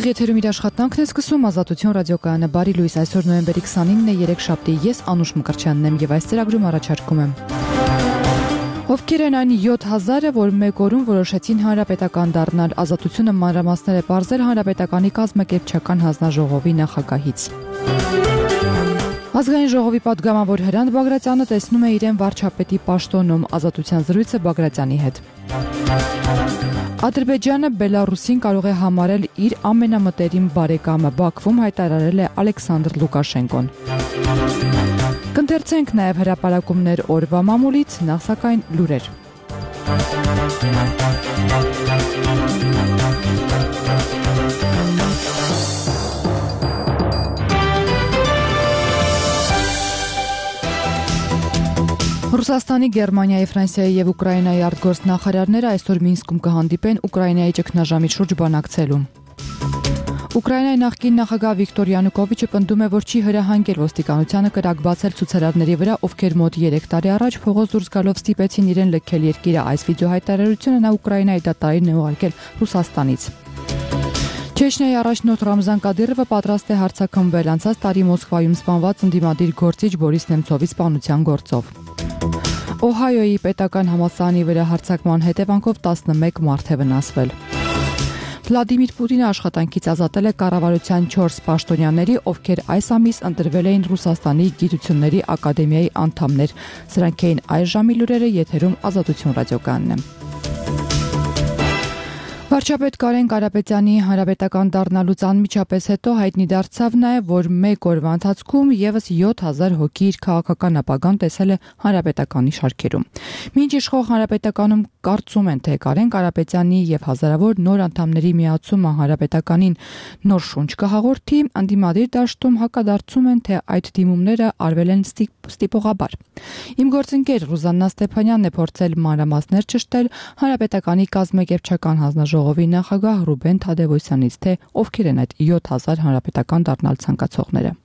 Ուղիղ եթերում իր աշխատանքն է սկսում Ազատություն ռադիոկայանը։ Բարի լույս, այսօր նոյեմբերի 29-ն է, երեքշաբթի, ես Անուշ Մկրտչյանն եմ եւ այս ծրագրում առաջարկում եմ. Ովքեր են այն 7000-ը, որ մեկ օրում որոշեցին հանրապետական դառնալ, Ազատությունը մանրամասներ է պարզել հանրապետականի կազմակերպչական հանձնաժողովի նախագահից։ Ազգային ժողովի պատգամավոր Հրանտ Բագրատյանը տեսնում է իրեն վարչապետի պաշտոնում, Ազատության զրույցը Բագրատյանի հետ։ Ադրբեջանը Բելարուսին կարող է համարել իր ամենամտերիմ բարեկամը, Բաքվում հայտարարել է Ալեքսանդր Լուկաշենկոն։ Կընթերցենք նաև հրապարակումներ օրվա մամուլից, նախ սակայն լուրեր։ Ռուսաստանի, Գերմանիայի, Ֆրանսիայի եւ Ուկրաինայի արտգործնախարարները այսօր Մինսկում կհանդիպեն Ուկրաինայի ճգնաժամի շուրջ բանակցելու։ Ուկրաինայի նախկին նախագահ Վիկտոր Յանուկովիչը պնդում է, որ չի հրահանգել ոստիկանությանը կրակ բացել ցուցարարների վրա, ովքեր մոտ 3 տարի առաջ փողոց դուրս գալով ստիպեցին իրեն լքել երկիրը։ Այս վիդեոհայտարարությունը նա Ուկրաինայի դատարանին է ուղարկել Ռուսաստանից։ Չեչնիայի առաջնորդ Ռամզան Կադիրովը պատրաստ է հարձակումվել անցած տարի Մոսկվայում սպանված ընդդիմադիր գործիչ Բորիս Նեմցովի սպանության գործով։ Օհայոյի պետական համալսարանի վրա հարձակման հետևանքով 11 մարդ է վնասվել։ Վլադիմիր Պուտինը աշխատանքից ազատել է կառավարության 4 պաշտոնյաների, ովքեր այս ամիս ընտրվել էին Ռուսաստանի Գիտությունների ակադեմիայի անդամներ։ Սրանք էին այս ժամի լուրերը, եթերում Ազատություն ռադիոկայանն է։ Վարչապետ Կարեն Կարապետյանի հանրապետական դառնալուց անմիջապես հետո հայտնի դարձավ նաև, որ մեկ օրվա ընթացքում եւս 7000 հոգի իր քաղաքական ապագան տեսել է հանրապետականի շարքերում։ Մինչ իշխող հանրապետականում կարծում են, թե Կարեն Կարապետյանի եւ հազարավոր նոր անդամների միացումը հանրապետականին նոր շունչ կհաղորդի, ընդդիմադիր դաշտում հակադարձում են, թե այդ դիմումները արվել են ստիպողաբար։ Իմ գործընկեր Ռուզաննա Ստեփանյանն է փորձել մանրամասներ ճշտել հանրապետականի կազմակերպչական հանձնաժողովի նախագահ Ռուբեն Թադևոսյանից, թե ովքեր են այդ 7000 հանրապետական դառնալ ցանկացողները։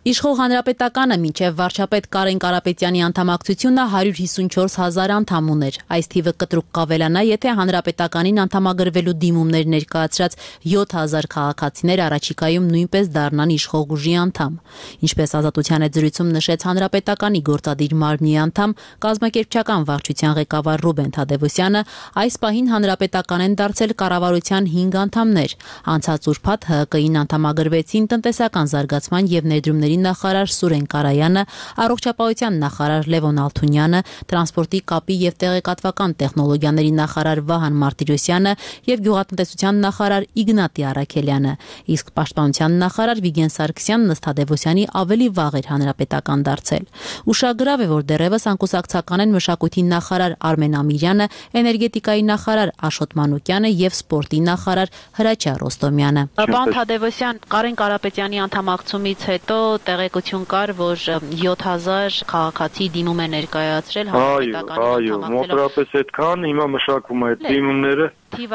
Իշխող հանրապետականը մինչև վարչապետ Կարեն Կարապետյանի անդամակցությունը 154,000 անդամ ուներ։ Այս թիվը կտրուկ կավելանա, եթե հանրապետականին անդամագրվելու դիմումներ ներկայացրած 7000 քաղաքացիներ առաջիկայում նույնպես դառնան իշխող ուժի անդամ։ Ինչպես Ազատության հետ զրույցում նշեց հանրապետականի գործադիր մարմնի անդամ, կազմակերպչական վարչության ղեկավար Ռուբեն Թադևոսյանը, այս պահին հանրապետական են դարձել կառավարության 5 անդամներ։ Անցած ուրբաթ ՀԿ-ին անդամագրվեցին տնտեսական զարգացման եւ ներդրումների նախարար Սուրեն Կարայանը, առողջապահության նախարար Լևոն Ալթունյանը, տրանսպորտի կապի եւ տեղեկատվական տեխնոլոգիաների նախարար Վահան Մարտիրոսյանը եւ գյուղատնտեսության նախարար Իգնատի Արաքելյանը, իսկ պաշտպանության նախարար Վիգեն Սարգսյանն ըստ Թադևոսյանի ավելի վաղ էր հանրապետական դարձել։ Ուշագրավ է, որ դեռևս անկուսակցական են մշակույթի նախարար Արմեն Ամիրյանը, էներգետիկայի նախարար Աշոտ Մանուկյանը եւ սպորտի նախարար Հրաչյա Ռոստոմյանը։ Պարոն Թադևոսյան, Կարեն Կարապետյանի անդամակցումից հետո տեղեկություն կար, որ 7000 քաղաքացի դիմում է ներկայացրել հանրապետականի անդամակցելով։ Այո, մոտավորապես այդքան հիմա մշակվում է այդ դիմումները։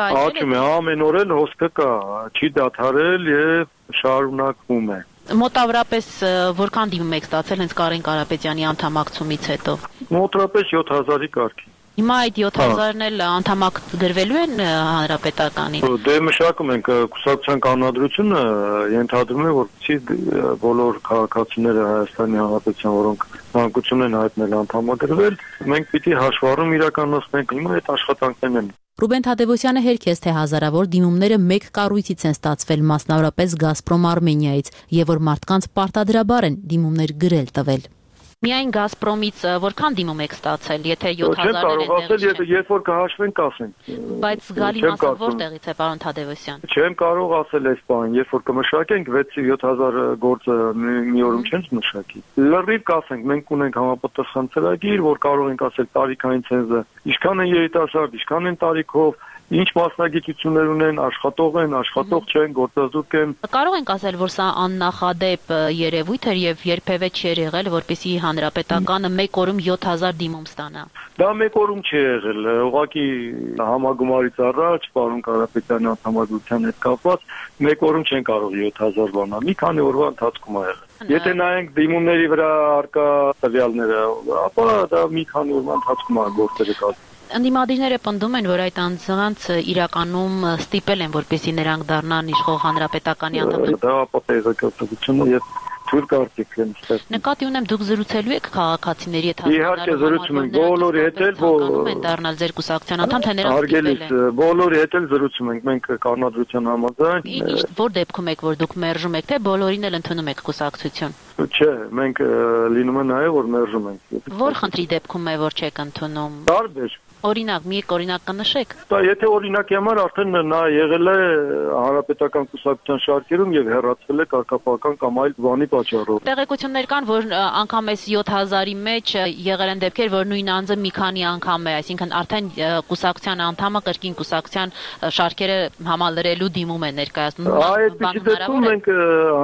Աճում է, ամեն օր էլ հոսքը կա, չի դադարել եւ շարունակվում է։ Մոտավորապես որքան դիմում եք ստացել հենց Կարեն Կարապետյանի անդամակցումից հետո։ Մոտավորապես 7000-ի կարգի։ Հիմա այդ 7000-ն էլ անդամագրվելու են հանրապետականին։ Դե մշակում ենք կուսակցության կանոնադրությունը, ենթադրում է, որ բոլոր քաղաքացիները Հայաստանի Հանրապետության, որոնք մանկություն են հայտնել անդամագրվել, մենք պիտի հաշվառում իրականացնենք, հիմա այդ աշխատանքներն են։ Ռուբեն Թադևոսյանը հերքեց, թե հազարավոր դիմումները մեկ կառույցից են ստացվել, մասնավորապես Գազպրոմ Արմենիայից, եւ որ մարդկանց պարտադրաբար են դիմումներ գրել տվել։ Միայն Գազպրոմից որքան դիմում եք ստացել, եթե 7000-ն են դեռ։ Երբ որ կհաշվենք, կասենք։ Բայց զգալի մասը որտեղից է, պարոն Թադևոսյան։ Չեմ կարող ասել այս բանը, երբ որ կմշակենք 6-7000 գործը մի օրում չենք մշակի։ Լրիվ կասենք, մենք ունենք համապատասխան ծրագիր, որ կարող ենք ասել տարիքային ցենզը, ինչքան են երիտասարդ, ինչքան են տարիքով, ինչ մասնագիտություններ ունեն, աշխատող են, աշխատող չեն, գործազուրկ են։ Կարող ենք ասել, որ սա աննախադեպ երևույթ էր եւ երբևէ չէր եղել, որպեսզի հանրապետականը մեկ օրում 7000 դիմում ստանա։ Դա մեկ օրում չի եղել, ուղղակի համագումարից առաջ, պարոն Կարապետյանի անդամակցության հետ կապված, մեկ օրում չեն կարող 7000 բանալ, մի քանի օրվա ընթացքում է եղել։ Եթե նայենք դիմումների վրա արկա տվյալները, ապա դա մի քանի օրվա ընթացքում է գործերը կազմել։ Ընդդիմադիրները պնդում են, որ այդ անձանց իրականում ստիպել են, որպեսզի նրանք դառնան իշխող հանրապետականի անդամներ։ Դա ապատեգակացությունը եւ թույլ կարծիք են ստեղծում։ Նկատի ունեմ, դուք զրուցելու եք քաղաքացիների հետ Իհարկե զրուցում ենք, բոլորի հետ էլ են դառնալ ձեր կուսակցության անդամ, թե նրանք Արգելից բոլորի հետ էլ զրուցում ենք, մենք կանոնադրության համաձայն։ Ինչ որ դեպքում եք, որ դուք մերժում եք, թե բոլորին էլ ընդունում եք կուսակցություն։ Չէ, մենք լինում է նաև որ մերժում ենք։ Որ խնդրի դեպքում է, որ չեք ընդունում։ Տարբեր Օրինակ, մի օրինակ կնշեք։ Դա եթե օրինակի համար արդեն նա եղել է հանրապետական կուսակցության շարքերում եւ հեռացվել է կարգապահական կամ այլ բանի պատճառով։ Տեղեկություններ կան, որ անգամ այս 7000-ի մեջ եղել են դեպքեր, որ նույն անձը մի քանի անգամ է, այսինքն արդեն կուսակցության անդամը կրկին կուսակցության շարքերը համալրելու դիմում է ներկայացնում։ Այդպիսի դեպքում մենք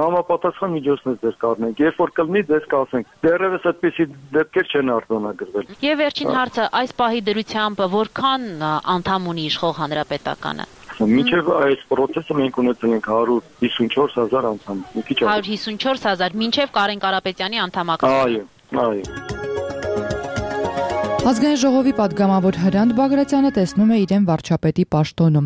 համապատասխան միջոցներ ձեր կառնենք, երբ որ կլինի ձեզ կասենք։ Դեռևս այդպիսի դեպքեր չեն արձանագրվել։ Եւ վերջին հարցը, այս պահի դրությամբ որքան անդամ ունի իշխող հանրապետականը։ Մինչև այս process-ը մենք ունեցել ենք 154,000 անդամ։ 154,000 մինչև Կարեն Կարապետյանի անդամակցությունը։ Այո։ Ազգային ժողովի պատգամավոր Հրանտ Բագրատյանը տեսնում է իրեն վարչապետի պաշտոնում։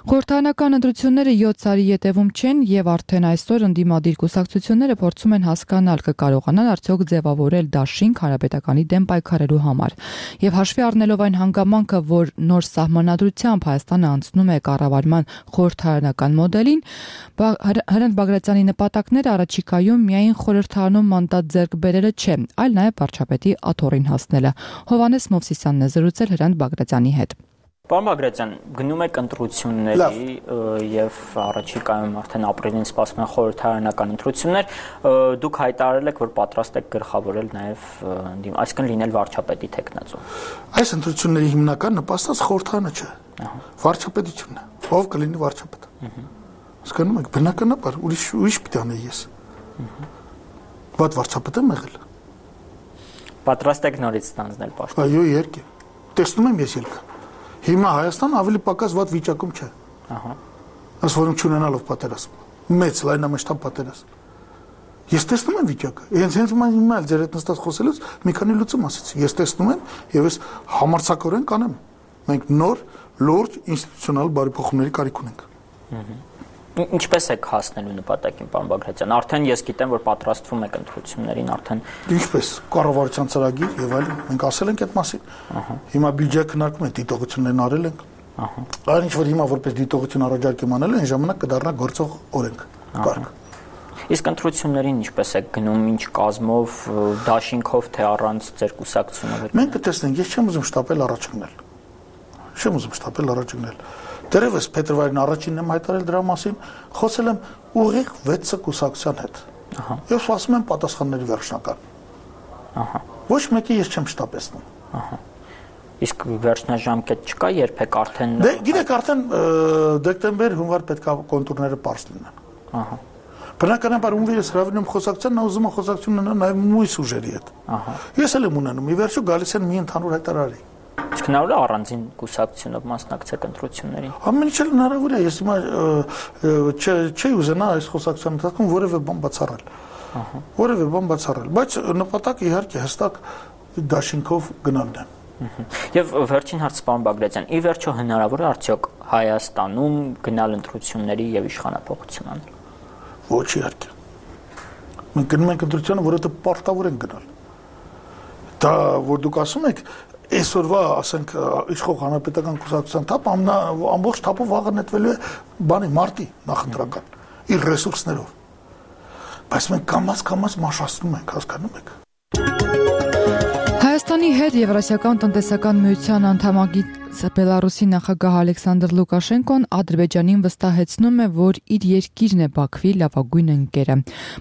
Խորհրդարանական ընտրությունները 7 տարի ետևում չեն եւ արդեն այսօր ընդդիմադիր կուսակցությունները փորձում են հասկանալ կկարողանան արդյոք ձևավորել դաշինք հանրապետականի դեմ պայքարելու համար։ Եվ հաշվի առնելով այն հանգամանքը, որ նոր սահմանադրությամբ Հայաստանը անցնում է կառավարման խորհրդարանական մոդելին, Հրանտ Բագրատյանի նպատակները առաջիկայում միայն խորհրդարանում մանդատ ձեռք բերելը չէ, այլ նաեւ վարչապետի աթոռին հասնելը։ Հովհաննես Մովսիսյանն է զրուցել Հրանտ Բագրատյանի հետ։ Պարոն Բագրատյան, գնում եք ընտրությունների եւ առաջիկայում արդեն ապրիլին սպասվում են խորհրդարանական ընտրություններ, դուք հայտարարել եք, որ պատրաստ եք գլխավորել նաեւ այսինքն լինել վարչապետի թեկնածու։ Այս ընտրությունների հիմնական նպաստած խորհրդարանը չէ։ Վարչապետությունն է։ Ով կլինի վարչապետ։ Հասկանում եք, բնականաբար ուրիշ պիտի անեի ես։ Բայց վարչապետ եմ եղել։ Պատրաստ եք նորից ստանձնել պաշտոն։ Այո, իհարկե։ Տեսնում եմ ես ելքը։ Հիմա Հայաստանը ավելի պակաս վատ վիճակում չէ։ Այս որում չունենալով պատերազմ։ Մեծ լայնամասշտաբ պատերազմ։ Ես տեսնում եմ վիճակը։ Հենց հիմա ձեր հետ նստած խոսելուց մի քանի լուծում ասեցի։ Ես տեսնում եմ եւ ես համարձակորեն կանեմ։ Մենք նոր լուրջ ինստիտուցիոնալ բարեփոխումների կարիք ունենք։ Ինչպես եք հասնելու նպատակին, պարոն Բագրատյան։ Արդեն ես գիտեմ, որ պատրաստվում եք ընտրություններին, արդեն ինչպես կառավարության ծրագիր եւ այլն, մենք ասել ենք այդ մասին։ Հիմա բյուջե քննարկում ենք, դիտողություններն արել ենք։ Այն ինչ որ հիմա որպես դիտողություն առաջարկեմ անել, այն ժամանակ կդառնա գործող օրենք։ Կարգ։ Իսկ ընտրություններին ինչպես եք գնում, ինչ կազմով, դաշինքով թե առանց ձեր կուսակցությունով։ Մենք կտեսնենք, ես չեմ ուզում շտապել առաջ գնել։ Դերևս փետրվարին առաջինն եմ հայտարարել դրա մասին, խոսել եմ ուղիղ 6 կուսակցության հետ։ Ես ասում եմ պատասխանների վերջնական։ Ոչ մեկի ես չեմ շտապեցնում։ Իսկ վերջնաժամկետ չկա, երբեք արդեն։ Դե գիտեք, արդեն դեկտեմբեր, հունվար պետք է կոնտուրները པարզ լինեն։ Բնականաբար ում ես հրավիրում խոսակցության, նա ուզում է խոսակցություն ունենալ նաև մույս ուժերի հետ։ Ես էլ եմ ունենում, ի վերջո գալիս են մի ընդհանուր հայտարարի։ Իսկ հնարավոր է առանձին կուսակցությունով մասնակցեք ընտրություններին։ Ամեն ինչ էլ հնարավոր է, ես հիմա չի ուզենա այս խոսակցության ընթացքում որևէ բան բացառել, բայց նպատակը իհարկե հստակ դաշինքով գնալն է։ Եվ վերջին հարց, պարոն Բագրատյան, ի վերջո հնարավոր է արդյոք Հայաստանում գնալ ընտրությունների եւ իշխանափոխություն անել։ Ոչ իհարկե։ Մենք գնում ենք ընտրությանը, որովհետեւ պարտավոր ենք գնալ։ Դա որ դուք ասում եք այսօրվա, ասենք, իշխող հանրապետական կուսակցության թափ ամբողջ թափով վաղը նետվելու է բանի մարտի նախընտրական իր ռեսուրսներով։ Բայց մենք կամաց մաշացնում ենք, հասկանում եք։ Հայաստանի հետ Եվրասիական տնտեսական միության անդամագիր Բելարուսի նախագահ Ալեքսանդր Լուկաշենկոն Ադրբեջանին վստահեցնում է, որ իր երկիրն է Բաքվի լավագույն ընկերը։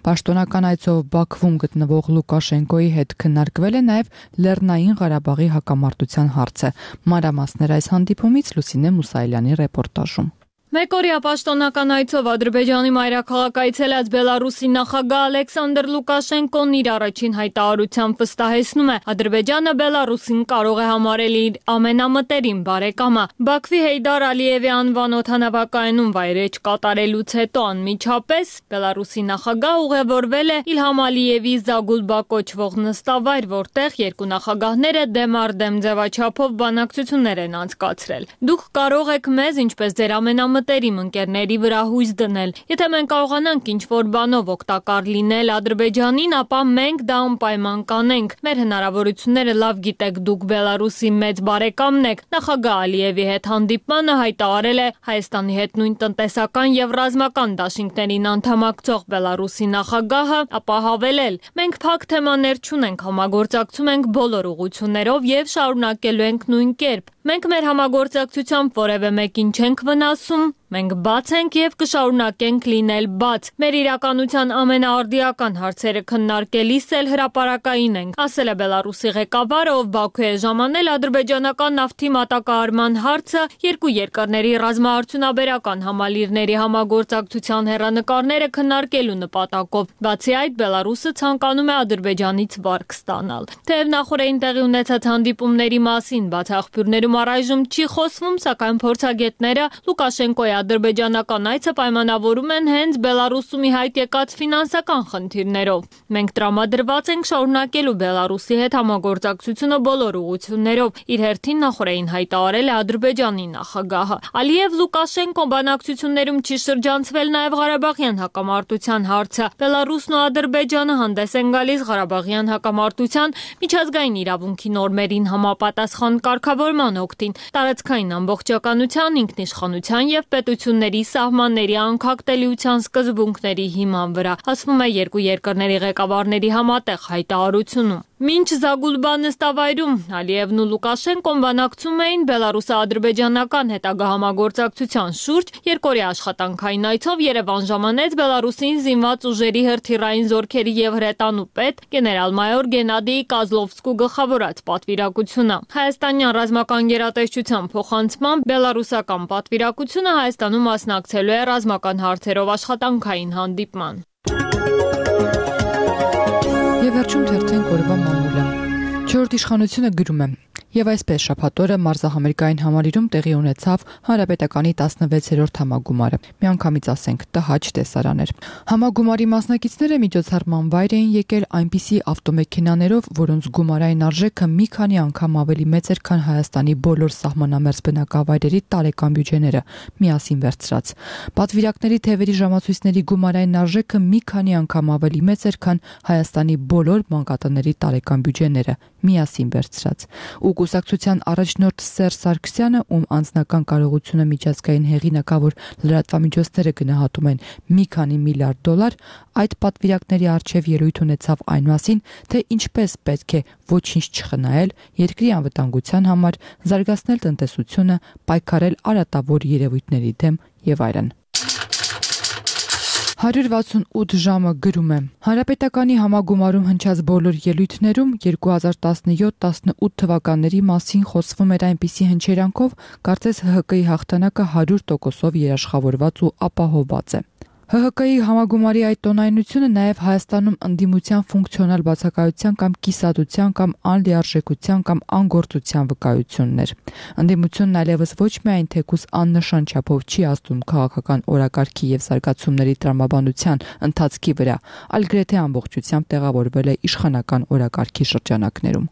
Պաշտոնական այցով Բաքվում գտնվող Լուկաշենկոյի հետ քննարկվել է նաև Լեռնային Ղարաբաղի հակամարտության հարցը։ Մանրամասներ այս հանդիպումից Լուսինե Մուսայելյանի ռեպորտաժում։ Մեկօրյա պաշտոնական այցով Ադրբեջանի մայրաքաղաք այցելած Բելարուսի նախագահ Ալեքսանդր Լուկաշենկոն իր առաջին հայտարարությամբ վստահեցնում է, Ադրբեջանը Բելարուսին կարող է համարել իր ամենամտերիմ բարեկամը։ Բաքվի Հեյդար Ալիևի անվան օդանավակայանում վայրէջք կատարելուց հետո անմիջապես Բելարուսի նախագահ ուղևորվել է Իլհամ Ալիևի Զագուլբա կոչվող նստավայր, որտեղ երկու նախագահները դեմ առ դեմ ձևաչափով բանակցություններ են անցկացրել։ Դուք կարող եք մեզ, ինչպես ձեր ամենամտերիմ ընկերների վրա հույս դնել։ Եթե մենք կարողանանք ինչ-որ բանով օգտակար լինել Ադրբեջանին, ապա մենք դա անպայման կանենք։ Մեր հնարավորությունները լավ գիտեք, դուք Բելարուսի մեծ բարեկամն եք։ Նախագահ Ալիևի հետ հանդիպմանը հայտարարել է Հայաստանի հետ նույն տնտեսական եւ ռազմական դաշինքներին անդամակցող Բելարուսի նախագահը, ապա հավելել. Մենք փակ թեմաներ չունենք, համագործակցում ենք բոլոր ուղղություններով եւ շարունակելու ենք նույն կերպ։ Մենք մեր համագործակցությամբ որևէ մեկին չենք վնասում, մենք բաց ենք եւ կշարունակենք լինել բաց։ Մեր իրականության ամենաարդիական հարցերը քննարկելիս էլ հրապարակային ենք, ասել է Բելարուսի ղեկավարը, ով Բաքու է ժամանել ադրբեջանական նավթի մատակարարման հարցը, երկու երկրների ռազմաարդյունաբերական համալիրների համագործակցության հեռանկարները քննարկելու նպատակով։ Բացի այդ, Բելարուսը ցանկանում է Ադրբեջանից վարկ ստանալ։ Թեև նախորդին տեղի ունեցած հանդիպումների մասին բաց աղբյուրներում առայժմ չի խոսվում, սակայն փորձագետները Լուկաշենկոյի ադրբեջանական այցը պայմանավորում են հենց Բելարուսում ի հայտ եկած ֆինանսական խնդիրներով։ Մենք տրամադրված ենք շարունակելու Բելարուսի հետ համագործակցությունը բոլոր ուղղություններով, իր հերթին նախորդին հայտարարել է Ադրբեջանի նախագահը։ Ալիև-Լուկաշենկո բանակցություններում չի շրջանցվել նաև Ղարաբաղյան հակամարտության հարցը։ Բելարուսն ու Ադրբեջանը հանդես են գալիս Ղարաբաղյան հակամարտության միջազգային իրավունքի նորմերին համապատասխան կարգավորման օգտին, տարածքային ամբողջականության, ինքնիշխանության եւ պետությունների սահմանների անկախտելիության սկզբունքների հիման վրա, ասվում է երկու երկրների ղեկավարների համատեղ հայտարարությունում։ Մինչ Զագուլբա նստավայրում Ալիևն ու Լուկաշենկոն բանակցում էին բելարուս-ադրբեջանական հետագա համագործակցության շուրջ, երկօրյա աշխատանքային այցով Երևան ժամանեց Բելարուսին զինված ուժերի հրթիռային զորքերի եւ հրետանու պետ գեներալ-մայոր Գենադի Կազլովսկու գլխավորած պատվիրակությունը։ Հայաստանյան ռազմական գերատեսչության փոխանցմամբ բելարուսական պատվիրակությունը Հայաստանում մասնակցելու է ռազմական հարցերով աշխատանքային հանդիպման։ Եվ վերջում թերթենք օրվա մամուլը։ Չորրորդ իշխանությունը գրում է. Եվ այսպես շաբաթօրը մարզահամերգային համալիրում տեղի ունեցավ Հանրապետականի 16-րդ համագումարը։ Միանգամից ասենք տհաճ տեսարան էր։ Համագումարի մասնակիցները միջոցառման վայր էին եկել այնպիսի ավտոմեքենաներով, որոնց գումարային արժեքը մի քանի անգամ ավելի մեծ էր, քան Հայաստանի բոլոր սահմանամերձ բնակավայրերի տարեկան բյուջեները միասին վերցրած։ Պատվիրակների թևերի ժամացույցների գումարային արժեքը մի քանի անգամ ավելի մեծ էր, քան Հայաստանի բոլոր մանկատների տարեկան բյուջեները միասին վերցրած։ Կուսակցության առաջնորդ Սերժ Սարգսյանը, ում անձնական կարողությունը միջազգային հեղինակավոր լրատվամիջոցները գնահատում են մի քանի միլիարդ դոլար, այդ պատվիրակների առջև ելույթ ունեցավ այն մասին, թե ինչպես պետք է ոչինչ չխնայել, երկրի անվտանգության համար, զարգացնել տնտեսությունը, պայքարել արատավոր երևույթների դեմ եւ այլն։ 168 ժամը գրում է. Հանրապետականի համագումարում հնչած բոլոր ելույթներում 2017-18 թվականների մասին խոսվում էր այնպիսի հնչերանքով, կարծես ՀՀԿ-ի հաղթանակը 100%-ով երաշխավորված ու ապահովված է։ ՀՀԿ-ի համագումարի այդ տոնայնությունը նաև Հայաստանում ընդդիմության ֆունկցիոնալ բացակայության կամ կիսատության կամ անլիարժեքության կամ անգործության վկայությունն էր։ Ընդդիմությունն այլևս ոչ միայն թեկուզ աննշան չափով չի ազդում քաղաքական օրակարգի եւ զարգացումների տրամաբանության ընթացքի վրա, այլ գրեթե ամբողջությամբ տեղավորվել է իշխանական օրակարգի շրջանակներում։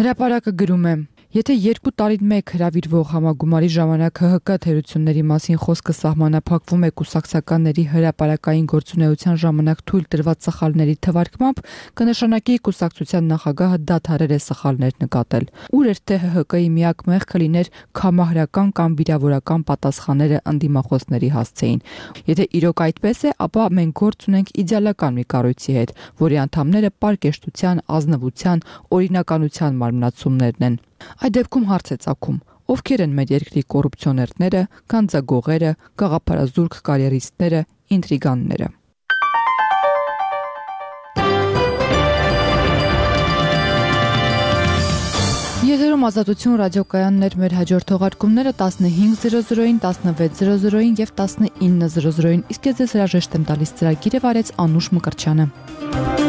Հրապարակը գրում է. Եթե 2 տարին մեկ հրավիրվող համագումարի ժամանակ ՀՀԿ թերությունների մասին խոսքը սահմանափակվում է կուսակցականների հրապարակային գործունեության ժամանակ թույլ տրված սխալների թվարկմամբ, կնշանակի կուսակցության նախագահը դադարել է սխալներ նկատել։ Ուր էր թե ՀՀԿ-ի միակ մեղքը լիներ կամահրական կամ վիրավորական պատասխանները ընդդիմախոսների հասցեին։ Եթե իրոք այդպես է, ապա մենք գործ ունենք իդեալական մի կառույցի հետ, որի անդամները պարկեշտության, ազնվության, օրինականության մարմնացումներն են։ Այդ դեպքում հարց է ծագում. ովքեր են մեր երկրի կոռուպցիոներները, գանձագողերը, գաղափարազուրկ կարիերիստները, ինտրիգանները։ Եթերում Ազատություն ռադիոկայաններ մեր հաջորդ թողարկումները 15:00-ին, 16:00-ին եւ 19:00-ին։ Իսկ ես ձեզ հրաժեշտ եմ տալիս ծրագիրը վարեց Անուշ Մկրտչյանը։